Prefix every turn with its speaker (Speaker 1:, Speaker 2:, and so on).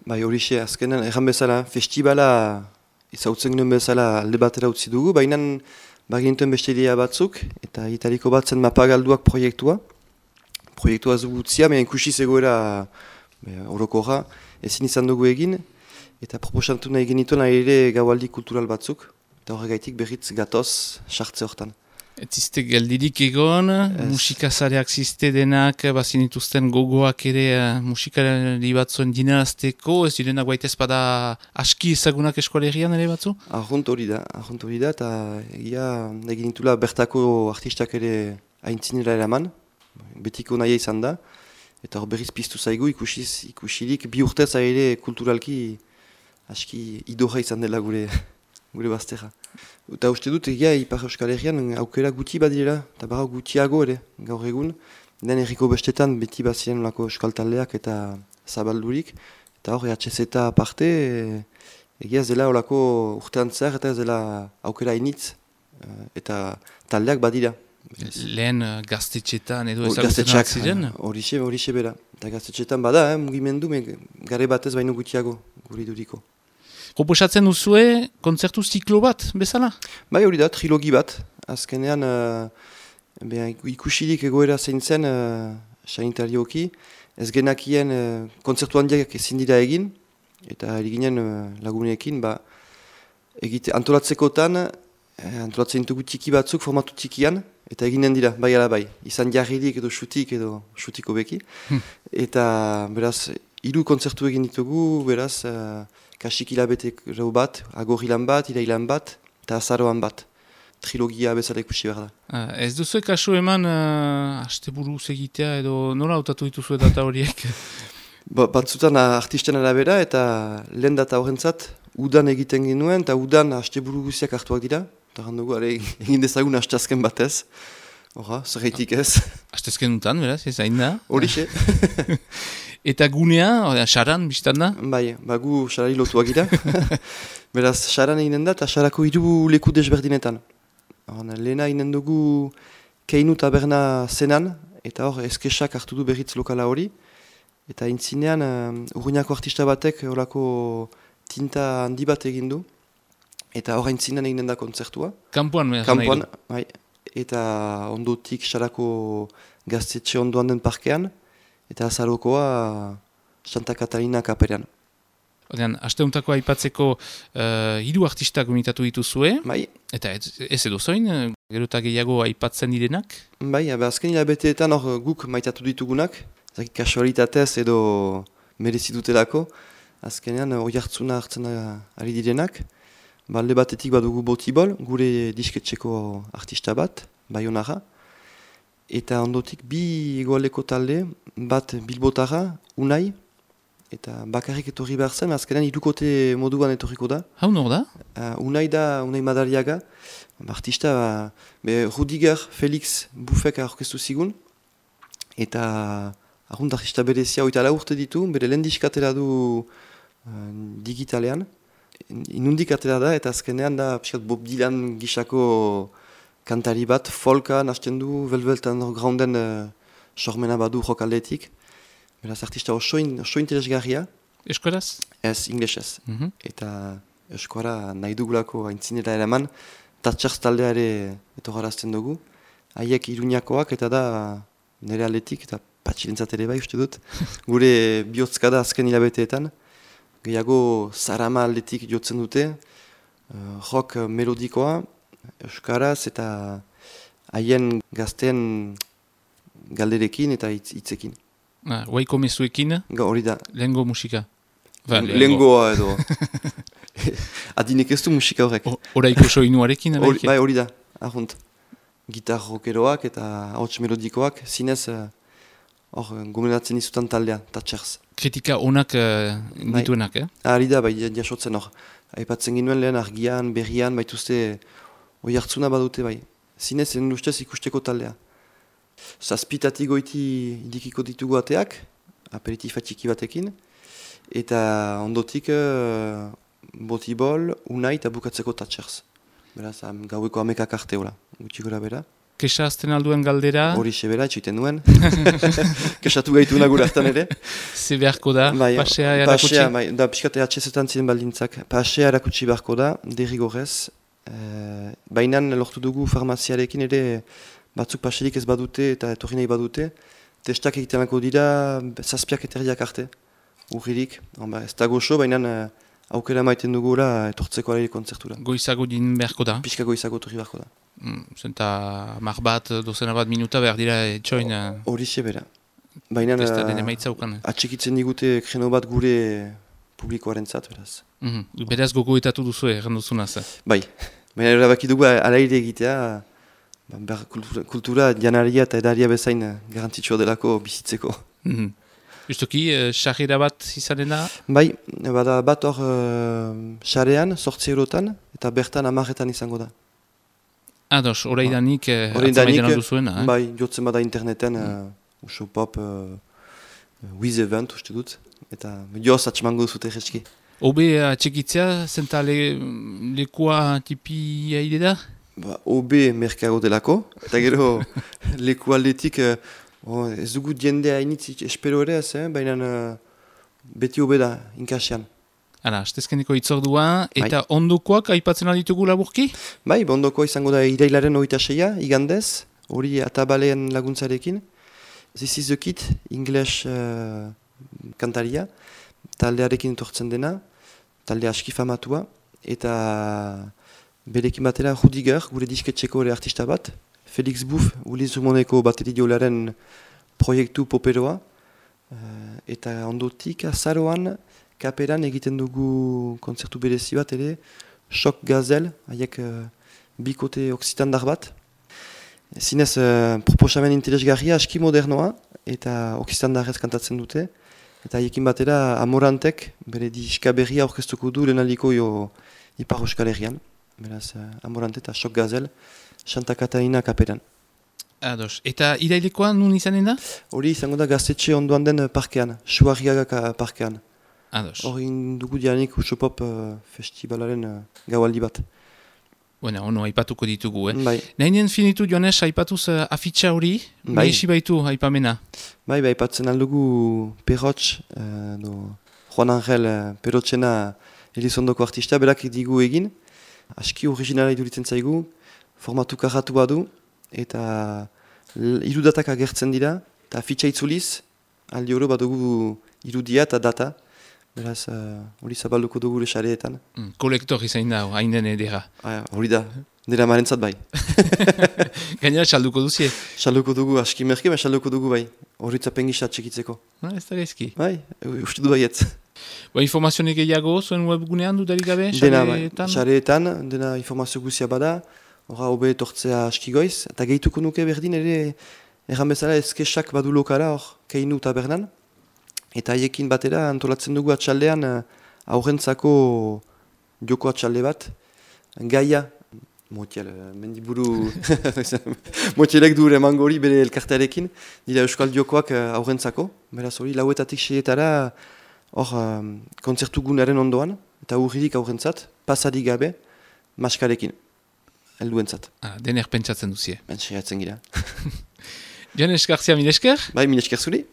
Speaker 1: Bai, horixe, azkenan, erran bezala, festibala ezautzen genuen bezala alde batera utzi dugu, baina bagintuen beste idea batzuk, eta italiko batzen mapagalduak proiektua. Proiektua ez dugu utzia, baina ikusi zegoera orokorra, ezin izan dugu egin, eta proposatu nahi genituen ere gaualdi kultural batzuk, eta horregaitik berriz gatoz sartze hortan.
Speaker 2: Ez ziste geldirik egon, musikazareak ziste denak, bazin dituzten gogoak ere musikari batzuen dinarazteko, ez direnak baita ezpada aski ezagunak eskualerian ere batzu?
Speaker 1: Arrunt hori da, eta egia egin ditula bertako artistak ere aintzinera eraman, betiko nahia izan da, eta hor berriz piztu zaigu ikusirik bi urtez ere kulturalki aski idorra izan dela gure bazterra. Eta uste dut egia Ipar Euskal Herrian aukera guti badirela, eta barra gutiago ere gaur egun. Den herriko bestetan beti bazien olako euskal taldeak eta zabaldurik. Eta hor EHZ eta aparte egia ez dela olako urtean zer eta ez dela aukera initz eta taldeak badira.
Speaker 2: Lehen gaztetxetan edo ezagutenak ziren?
Speaker 1: Horixe bera. Eta gaztetxetan bada, mugimendu, gare batez baino gutiago guri duriko.
Speaker 2: Proposatzen duzue kontzertu ziklo bat, bezala?
Speaker 1: Bai, hori da, trilogi bat. Azkenean ikusirik egoera zein zen sanitarioki. Ez genakien kontzertu handiak ezin dira egin, eta eriginen lagunekin, antolatzekotan, antolatzen dugu txiki batzuk formatu txikian, eta eginen dira, bai ala bai. Izan jarririk edo xutiko beki. Eta beraz, 3 kontzertu egin ditugu, beraz, kasik hilabete bat, agorrilan bat, irailan bat, eta azaroan bat. Trilogia bezala ikusi behar da.
Speaker 2: Ez duzu kasu eman hasteburuz egitea edo nola hautatu dituzu data horiek?
Speaker 1: Batzutan artisten arabera eta lehen data horrentzat udan egiten genuen, eta udan hasteburu guziak hartuak dira. Eta handugu, egin dezagun hastazken batez. Horra, zerreitik ez.
Speaker 2: Hastazken dutan, beraz, ez hain da?
Speaker 1: Horixe.
Speaker 2: Eta gunea, xaran, biztan da?
Speaker 1: Bai, gu xarari lotuak gira. Beraz, xaran eginen da, eta xarako 3 leku desberdinetan. Lehena eginen dugu Keinu taberna zenan, eta hor eskesak hartu du berriz lokala hori. Eta intzinean, Urruñako artista batek horako tinta handi bat egin du. Eta hor intzinean eginen da kontzertua.
Speaker 2: Kampuan,
Speaker 1: Kampuan, bai. Eta ondotik xarako gaztetxe ondoan den parkean. Eta azarokoa Santa Katarina kaperean.
Speaker 2: Asteuntako aipatzeko 3 artistak gomitatu dituzue.
Speaker 1: Bai.
Speaker 2: Eta ez edo zoin, gero eta gehiago aipatzen direnak?
Speaker 1: Bai, azken hilabeteetan hor guk maitatu ditugunak. Zakit kasualitatez edo merezitutelako. Azkenean hori hartzuna hartzen ari direnak. Alde batetik badugu Botibol, gure disketxeko artista bat, Baionara. Eta ondotik 2 egoaleko talde, bat Bilbotara, Unai, eta bakarrik etorri behar zen, azkenean 3 moduan etorriko da.
Speaker 2: Hau nor da?
Speaker 1: Unai Madariaga, artista, Rudiger Felix Bufek aurkeztu zigun, eta arrunt artista berezia 24 urte ditu, bere lehen diskatera du digitalean. Inundik atera da, eta azkenean da Bob Dylan gisako kantari bat, folka hasten du, Velvet Undergrounden sormena badu jokaldetik. Beraz, artista oso interesgarria.
Speaker 2: Eskoraz?
Speaker 1: Ez, inglesez. Eta eskora nahi dugulako aintzinera eraman, Tatxarz taldea ere etorrarazten dugu. Haiek Iruñakoak eta da nire aldetik, eta patxilentzat ere bai uste dut. Gure bihotzka da azken hilabeteetan. Gehiago Sarama aldetik jotzen dute, rock melodikoa, euskaraz eta haien gazten galderekin eta hitzekin.
Speaker 2: Guaiko mezuekin?
Speaker 1: Hori da.
Speaker 2: Lehengo musika?
Speaker 1: Lehengoa edo. Adinek ez du musika horrek.
Speaker 2: Horaiko soinuarekin?
Speaker 1: Bai, hori da. Arrunt. Gitar rockeroak eta ahots melodikoak, zinez gomendatzen izutan taldea, Tatxarz.
Speaker 2: Kritika onak dituenak,
Speaker 1: Ari da, bai, jasotzen hor. Aipatzen ginuen lehen argian, berrian, baituzte oi hartzuna badute, bai. Zinez, ustez ikusteko taldea. Zazpitatik goiti idikiko ditugu ateak, aperitifa txiki batekin, eta ondotik Botibol, Unai eta bukatzeko Tatxarz. Beraz, gaueko 11 arte, gutxi gora bera.
Speaker 2: Kesa azten alduen galdera,
Speaker 1: Hori sebera, etxoiten duen. Kesatu gaitu nagura hartan ere.
Speaker 2: ze beharko da,
Speaker 1: Bai,
Speaker 2: pasea erakutsi.
Speaker 1: Pasea, bai, da pixkate atxezetan ziren baldintzak. Pasea erakutsi beharko da, derrigorrez. Baina lortu dugu farmaziarekin ere batzuk paserik ez badute eta etorri nahi badute. Testak egitenako dira zazpiak eterriak arte. Urririk, ez da goxo, baina aukera maiten dugula etortzeko alaile kontzertura.
Speaker 2: Goizago din beharko da.
Speaker 1: Pixka goizago etorri beharko da.
Speaker 2: Zenta mar bat, dozena bat minuta behar dira etxoin
Speaker 1: Hori sebera. Baina
Speaker 2: testaren emaitza ukan.
Speaker 1: atxikitzen digute kreno bat gure publikoaren zat, beraz.
Speaker 2: Beraz gogoetatu duzu erranduzunaz.
Speaker 1: Bai, baina erabaki dugu alaire egitea, kultura janaria eta edaria bezain garantzitsua delako bizitzeko.
Speaker 2: Justoki, sarrera bat izanen da?
Speaker 1: Bai, bada bat hor sarean, 8 eurotan, eta bertan 10etan izango da.
Speaker 2: Ados, oraidanik atzamaiten alduzuena.
Speaker 1: Bai, jotzen bada interneten, uso pop, Wiz Event, uste dut, eta joz atxemango duzute jeski.
Speaker 2: Obe atxekitzea, zenta lekua tipi haide da?
Speaker 1: Obe merkago delako, eta gero leku aldetik ez dugu jende hainitz espero ere ez, baina beti obe da, inkasean.
Speaker 2: Hala, astezkeneko itzordua, eta ondokoak aipatzen alditugu laburki?
Speaker 1: Bai, ondokoa izango da irailaren 26a, igandez, hori atabalean laguntzarekin. This is the Kid, English kantaria, taldearekin etortzen dena, talde aski famatua, eta berekin batera Rudiger, gure disketxeko ere artista bat, Felix Buff, Uliz Zumoneko bateridiolaren proiektu poperoa, eta ondotik azaroan kaperan egiten dugu kontzertu berezi bat ere, Shock Gazel, haiek bikote oksitandar bat. Zinez, proposamen interesgarria aski modernoa, eta oksitandarrez kantatzen dute, eta haiekin batera Amorantek, bere diska berria orkestuko du lehenaliko Ipar Euskal Herrian. Beraz, Amorante eta Shock Gazel, Santa Catarina kaperan.
Speaker 2: Ados, eta irailekoa nun izanen da?
Speaker 1: Hori izango da gaztetxe ondoan den parkean, Suarriaga parkean.
Speaker 2: Ados.
Speaker 1: Hori dugu dianik Usopop festivalaren gaualdi bat.
Speaker 2: Bueno, ono aipatuko ditugu,
Speaker 1: Bai.
Speaker 2: Nahinen finitu Joanes, aipatuz afitxa hori, mehesi baitu aipamena.
Speaker 1: Bai, aipatzen aldugu Perrotx, Juan Angel Perrotxena Elizondoko artista, berak digu egin. Aski originala iduritzen zaigu, formatu karratu badu, eta irudatak agertzen dira, eta afitxa itzuliz, aldi oro badugu irudia eta data. Beraz, hori zabalduko dugu gure xareetan.
Speaker 2: Kolektor izain da, hain den edera.
Speaker 1: Hori da, dira marentzat bai.
Speaker 2: Gainera, salduko duzie?
Speaker 1: Salduko dugu, aski merke, salduko dugu bai. Horitzapen gisa txekitzeko.
Speaker 2: Ez da gaizki.
Speaker 1: Bai, uste du baietz.
Speaker 2: Informazionek gehiago, zuen webgunean dudarik gabe,
Speaker 1: xareetan? Xareetan, dena informazio guzia bada, horra hobe etortzea aski goiz, eta gehituko nuke berdin ere, erran bezala ezkesak badu lokara hor, keinu tabernan. Eta haiekin batera antolatzen dugu atxaldean aurrentzako joko atxalde bat. Gaia, motiel, mendiburu, motielek du emango hori bere elkartearekin, dira euskal jokoak aurrentzako. Beraz hori, 4-etatik 6-etara hor kontzertu gunaren ondoan, eta urririk aurrentzat, pasarik gabe, maskarekin, helduentzat.
Speaker 2: Dener pentsatzen duzie.
Speaker 1: Saiatzen gira.
Speaker 2: Joanes Garcia, milesker?
Speaker 1: Bai, milesker zuri.